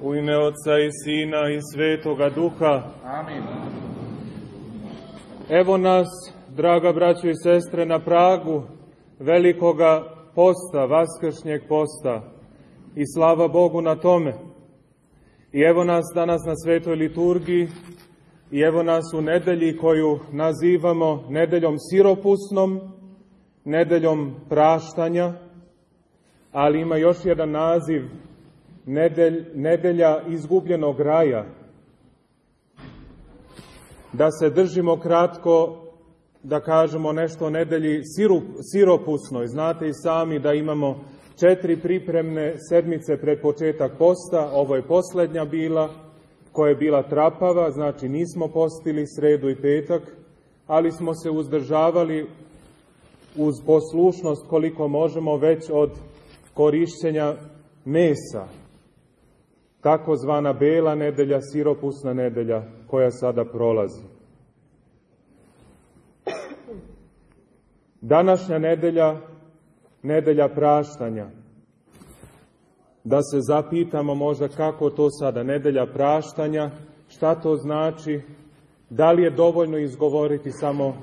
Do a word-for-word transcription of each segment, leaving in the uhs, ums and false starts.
U ime Otca i Sina i Svetoga Duha. Amin. Evo nas, draga braćo i sestre, na pragu velikoga posta, vaskršnjeg posta. I slava Bogu na tome. I evo nas danas na svetoj liturgiji, i evo nas u nedelji koju nazivamo nedeljom siropusnom, nedeljom praštanja, ali ima još jedan naziv, nedelj, nedelja izgubljenog raja. Da se držimo kratko, da kažemo nešto o nedelji sirup, siropusnoj. Znate i sami da imamo četiri pripremne sedmice pred početak posta, ovo je posljednja bila, koja je bila trapava, znači nismo postili sredu i petak, ali smo se uzdržavali uz poslušnost koliko možemo već od korišćenja mesa. Takozvana bela nedelja, siropusna nedelja koja sada prolazi. Današnja nedelja, nedelja praštanja. Da se zapitamo možda kako to sada, nedelja praštanja, šta to znači, da li je dovoljno izgovoriti samo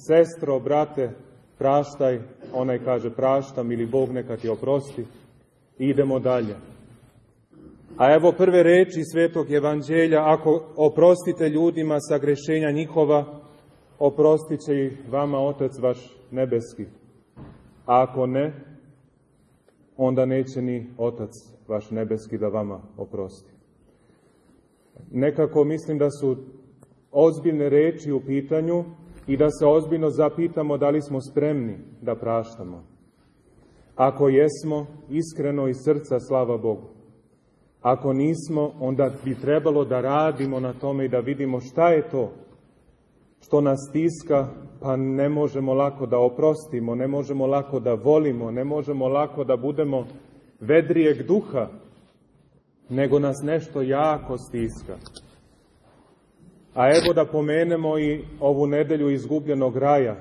sestro, brate, praštaj, onaj kaže praštam ili Bog neka ti oprosti, i idemo dalje. A evo prve reči Svetog Evanđelja, ako oprostite ljudima sagrešenja njihova, oprostit će ih vama Otac vaš nebeski. A ako ne, onda neće ni Otac vaš nebeski da vama oprosti. Nekako mislim da su ozbiljne reči u pitanju i da se ozbiljno zapitamo da li smo spremni da praštamo. Ako jesmo, iskreno iz srca, slava Bogu. Ako nismo, onda bi trebalo da radimo na tome i da vidimo šta je to što nas stiska, pa ne možemo lako da oprostimo, ne možemo lako da volimo, ne možemo lako da budemo vedrijeg duha, nego nas nešto jako stiska. A evo da pomenemo i ovu nedelju izgubljenog raja.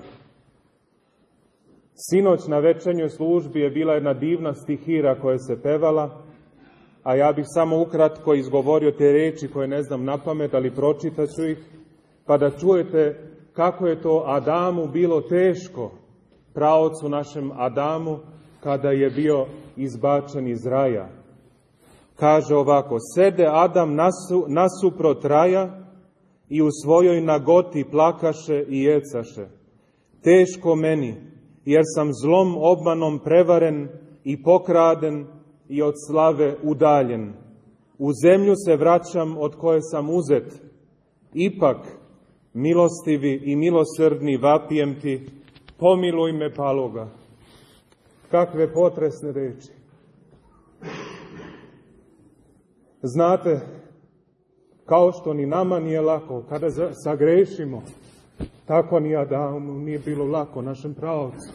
Sinoć na večernjoj službi je bila jedna divna stihira koja se pevala, a ja bih samo ukratko izgovorio te reči koje ne znam na pamet, ali pročitat ću ih, pa da čujete kako je to Adamu bilo teško, praocu našem Adamu, kada je bio izbačen iz raja. Kaže ovako, sede Adam nasu, nasuprot raja i u svojoj nagoti plakaše i jecaše. Teško meni, jer sam zlom obmanom prevaren i pokraden i od slave udaljen. U zemlju se vraćam od koje sam uzet. Ipak, milostivi i milosrdni vapijem ti, pomiluj me paloga. Kakve potresne reči. Znate, kao što ni nama nije lako, kada sagrešimo, tako ni Adamu nije bilo lako, našem praocu.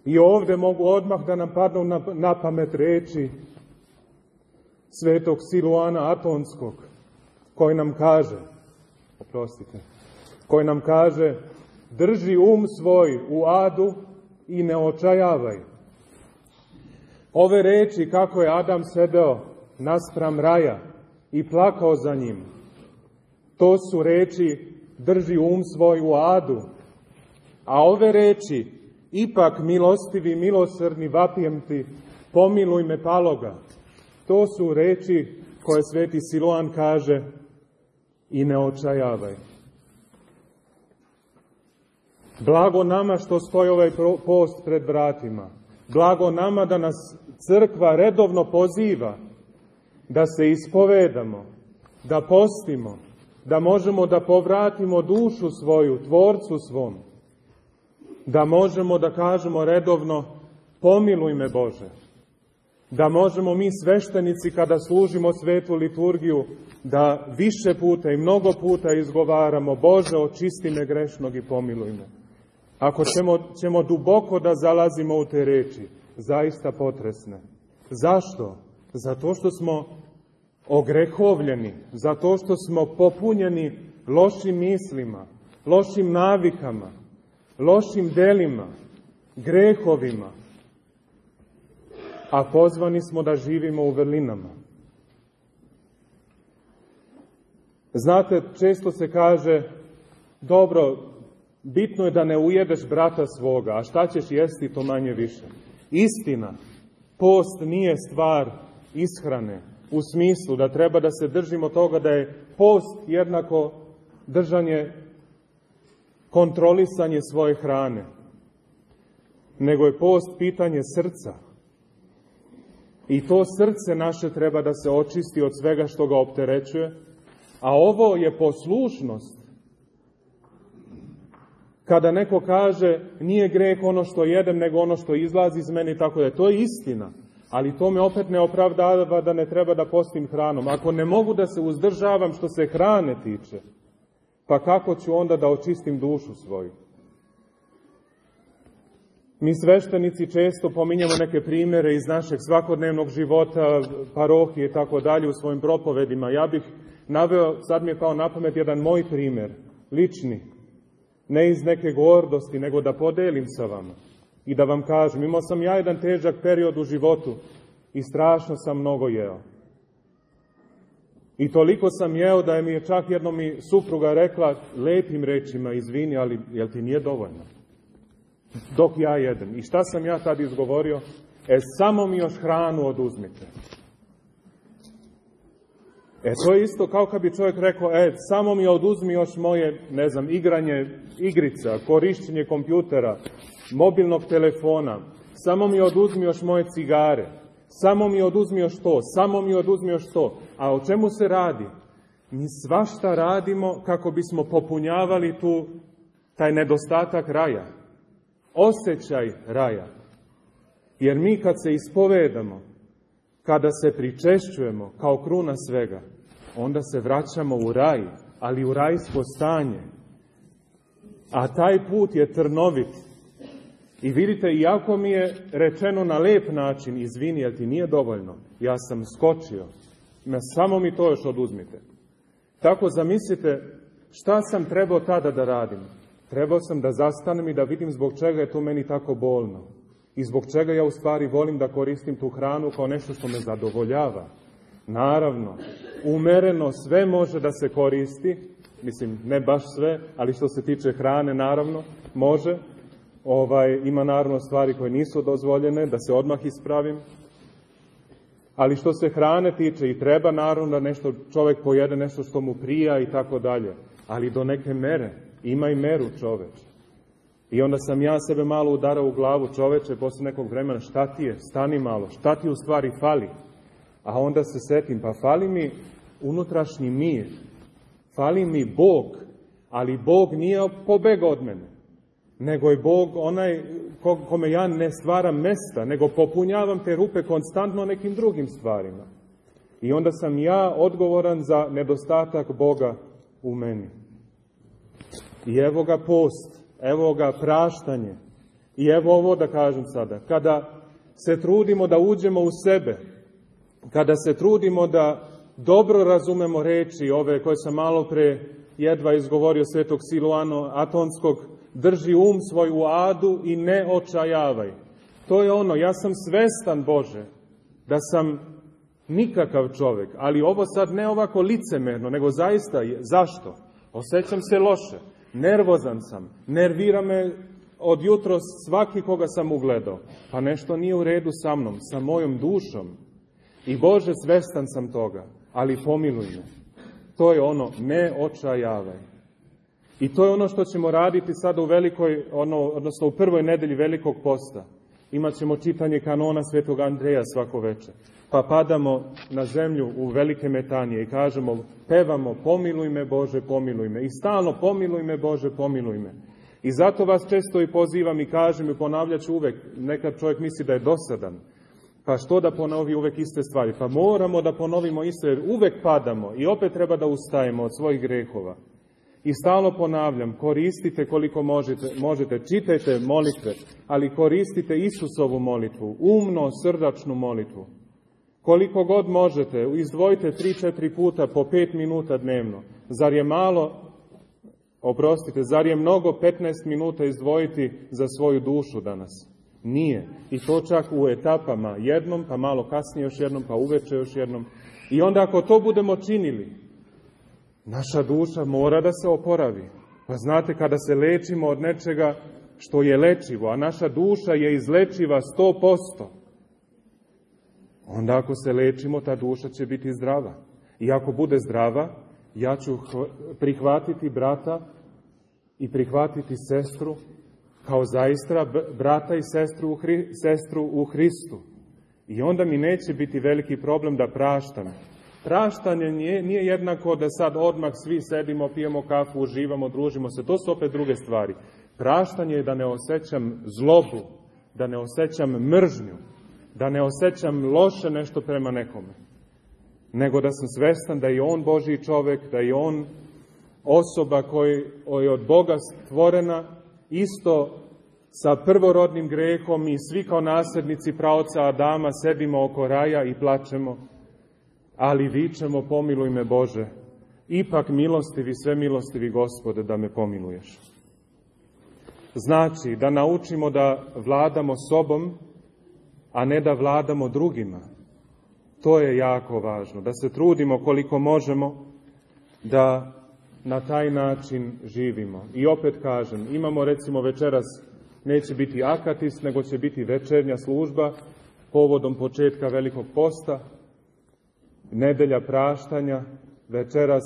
I ovdje mogu odmah da nam padnu na, na pamet reči svetog Siluana Atonskog, koji nam kaže, oprostite, koji nam kaže, drži um svoj u adu i ne očajavaj. Ove reči kako je Adam sedeo naspram raja i plakao za njim, to su reči drži um svoj u adu. A ove reči, ipak milostivi, milosrdni vapijem ti, pomiluj me paloga, to su reči koje sveti Siluan kaže i ne očajavaj. Blago nama što stoji ovaj post pred vratima. Blago nama da nas crkva redovno poziva da se ispovedamo, da postimo, da možemo da povratimo dušu svoju, tvorcu svom, da možemo da kažemo redovno pomiluj me Bože, da možemo mi sveštenici kada služimo svetu liturgiju da više puta i mnogo puta izgovaramo Bože očisti me grešnog i pomiluj me. Ako ćemo, ćemo duboko da zalazimo u te reči, zaista potresne. Zašto? Zato što smo ogrehovljeni, zato što smo popunjeni lošim mislima, lošim navikama, lošim delima, grehovima, a pozvani smo da živimo u vrlinama. Znate, često se kaže, dobro, bitno je da ne ujedeš brata svoga, a šta ćeš jesti to manje više. Istina, post nije stvar ishrane, u smislu da treba da se držimo toga da je post jednako držanje, kontrolisanje svoje hrane, nego je post pitanje srca. I to srce naše treba da se očisti od svega što ga opterećuje, a ovo je poslušnost. Kada neko kaže, nije greh ono što jedem, nego ono što izlazi iz mene, tako da to je istina. Ali to me opet ne opravdava da ne treba da postim hranom. Ako ne mogu da se uzdržavam što se hrane tiče, pa kako ću onda da očistim dušu svoju? Mi sveštenici često pominjamo neke primere iz našeg svakodnevnog života, parohije i tako dalje u svojim propovedima. Ja bih naveo, sad mi je pao na pamet jedan moj primer, lični, ne iz neke gordosti, nego da podelim sa vama i da vam kažem. Imao sam ja jedan težak period u životu i strašno sam mnogo jeo. I toliko sam jeo da je mi je čak jednom mi supruga rekla lepim rečima, izvini, ali jel ti nije dovoljno? Dok ja jedem. I šta sam ja tad izgovorio? E, samo mi još hranu oduzmite. E, to je isto kao kad bi čovjek rekao, e, samo mi oduzmi još moje, ne znam, igranje igrica, korišćenje kompjutera, mobilnog telefona, samo mi oduzmi još moje cigare, samo mi oduzmi još to, samo mi oduzmi još to. A o čemu se radi? Mi svašta radimo kako bismo popunjavali tu, taj nedostatak raja. Osjećaj raja. Jer mi kad se ispovedamo, kada se pričešćujemo kao kruna svega, onda se vraćamo u raj, ali u rajsko stanje. A taj put je trnovit. I vidite, iako mi je rečeno na lep način, izvini, jer ti nije dovoljno, ja sam skočio, samo mi to još oduzmite. Tako zamislite šta sam trebao tada da radim. Trebao sam da zastanem i da vidim zbog čega je to meni tako bolno. I zbog čega ja u stvari volim da koristim tu hranu kao nešto što me zadovoljava. Naravno, umereno sve može da se koristi, mislim, ne baš sve, ali što se tiče hrane, naravno, može. Ovaj, ima naravno stvari koje nisu dozvoljene, da se odmah ispravim. Ali što se hrane tiče i treba naravno da nešto čovjek pojede, nešto što mu prija i tako dalje. Ali do neke mere. Ima i meru čoveče. I onda sam ja sebe malo udarao u glavu, čoveče, posle nekog vremena, šta ti je, stani malo, šta ti u stvari fali? A onda se setim, pa fali mi unutrašnji mir, fali mi Bog, ali Bog nije pobegao od mene, nego je Bog onaj kome ja ne stvaram mesta, nego popunjavam te rupe konstantno nekim drugim stvarima. I onda sam ja odgovoran za nedostatak Boga u meni. I evo ga post, evo ga praštanje. I evo ovo da kažem sada. Kada se trudimo da uđemo u sebe, kada se trudimo da dobro razumemo reči ove koje sam malo pre jedva izgovorio svetog Siluana Atonskog, drži um svoj u adu i ne očajavaj. To je ono, ja sam svestan, Bože, da sam nikakav čovjek, ali ovo sad ne ovako licemerno, nego zaista je. Zašto? Osjećam se loše. Nervozan sam, nervira me od jutros svaki koga sam ugledao. Pa nešto nije u redu sa mnom, sa mojom dušom. I Bože, svestan sam toga, ali pomiluj me. To je ono, ne očajavaj. I to je ono što ćemo raditi sada u velikoj, ono, odnosno u prvoj nedelji Velikog posta. Imaćemo čitanje kanona svetog Andreja svako večer. Pa padamo na zemlju u velike metanije i kažemo, pevamo, pomiluj me Bože, pomiluj me. I stalno, pomiluj me Bože, pomiluj me. I zato vas često i pozivam i kažem i ponavljat ću uvek, nekad čovjek misli da je dosadan. Pa što da ponovi uvek iste stvari? Pa moramo da ponovimo isto, jer uvek padamo i opet treba da ustajemo od svojih grehova. I stalno ponavljam, koristite koliko možete, možete, čitajte molitve, ali koristite Isusovu molitvu, umno, srdačnu molitvu. Koliko god možete, izdvojite tri četiri puta po pet minuta dnevno. Zar je malo, oprostite, zar je mnogo petnaest minuta izdvojiti za svoju dušu danas? Nije. I to čak u etapama, jednom, pa malo kasnije još jednom, pa uveče još jednom. I onda ako to budemo činili, Naša duša mora da se oporavi. Pa znate, kada se lečimo od nečega što je lečivo, a naša duša je izlečiva sto posto, onda ako se lečimo, ta duša će biti zdrava. I ako bude zdrava, ja ću prihvatiti brata i prihvatiti sestru kao zaista brata i sestru u, Hri, sestru u Hristu. I onda mi neće biti veliki problem da praštam. Praštanje nije, nije jednako da sad odmah svi sedimo, pijemo kafu, uživamo, družimo se. To su opet druge stvari. Praštanje je da ne osjećam zlobu, da ne osjećam mržnju, da ne osjećam loše nešto prema nekome. Nego da sam svestan da je on Božji čovek, da je on osoba koja je od Boga stvorena, isto sa prvorodnim grehom, i svi kao nasljednici praoca Adama sedimo oko raja i plačemo, ali vičemo: pomiluj me Bože, ipak milostivi, sve milostivi Gospode, da me pomiluješ. Znači, da naučimo da vladamo sobom, a ne da vladamo drugima. To je jako važno, da se trudimo koliko možemo da na taj način živimo. I opet kažem, imamo recimo večeras, neće biti akatis, nego će biti večernja služba povodom početka Velikog posta, nedelja praštanja, večeras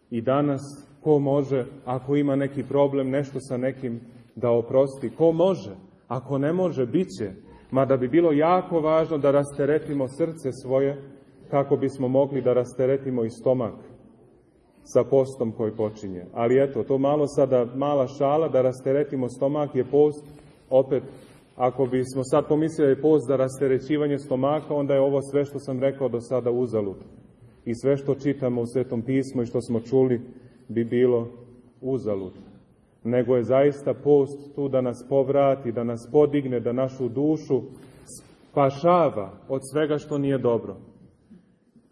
i danas. Ko može, ako ima neki problem, nešto sa nekim, da oprosti? Ko može? Ako ne može, bit će. Mada bi bilo jako važno da rasteretimo srce svoje, kako bismo mogli da rasteretimo i stomak sa postom koji počinje. Ali eto, to malo sada, mala šala, da rasteretimo stomak je post. Opet, ako bismo sad pomislili je post za rasterećivanje stomaka, onda je ovo sve što sam rekao do sada uzalud. I sve što čitamo u Svetom pismu i što smo čuli bi bilo uzalud. Nego je zaista post tu da nas povrati, da nas podigne, da našu dušu spašava od svega što nije dobro.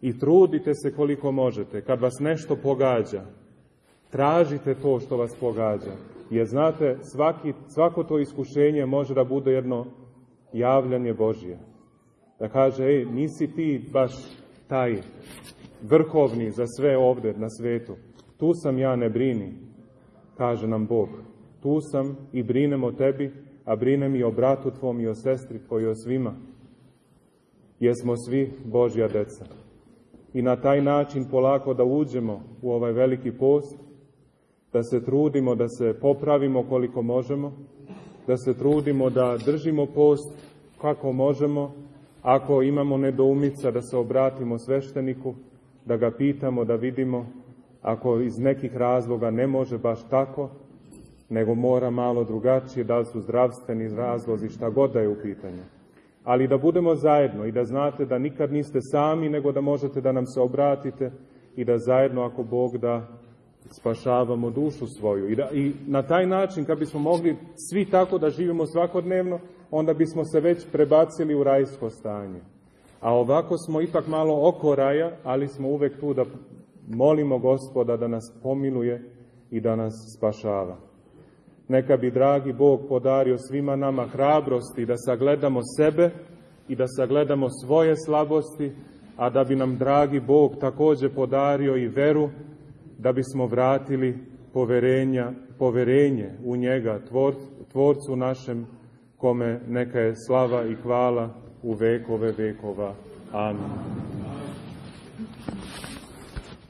I trudite se koliko možete. Kad vas nešto pogađa, tražite to što vas pogađa. Jer znate, svaki, svako to iskušenje može da bude jedno javljanje Božje. Da kaže: ej, nisi ti baš taj vrhovni za sve ovde na svetu. Tu sam ja, ne brini, kaže nam Bog. Tu sam i brinem o tebi, a brinem i o bratu tvom i o sestri tvoj i o svima. Jer smo svi Božja deca. I na taj način polako da uđemo u ovaj veliki post, da se trudimo da se popravimo koliko možemo, da se trudimo da držimo post kako možemo. Ako imamo nedoumica, da se obratimo svešteniku, da ga pitamo, da vidimo ako iz nekih razloga ne može baš tako, nego mora malo drugačije, da li su zdravstveni razlozi, šta god da je u pitanju. Ali da budemo zajedno i da znate da nikad niste sami, nego da možete da nam se obratite i da zajedno, ako Bog da, spašavamo dušu svoju. I, da, i na taj način, kad bismo mogli svi tako da živimo svakodnevno, onda bismo se već prebacili u rajsko stanje. A ovako smo ipak malo oko raja, ali smo uvek tu da molimo Gospoda da nas pomiluje i da nas spašava. Neka bi, dragi Bog, podario svima nama hrabrosti da sagledamo sebe i da sagledamo svoje slabosti, a da bi nam, dragi Bog, također podario i veru, da bismo vratili poverenja, poverenje u njega, tvor, tvorcu našem, kome neka je slava i hvala u vekove vekova. Amin.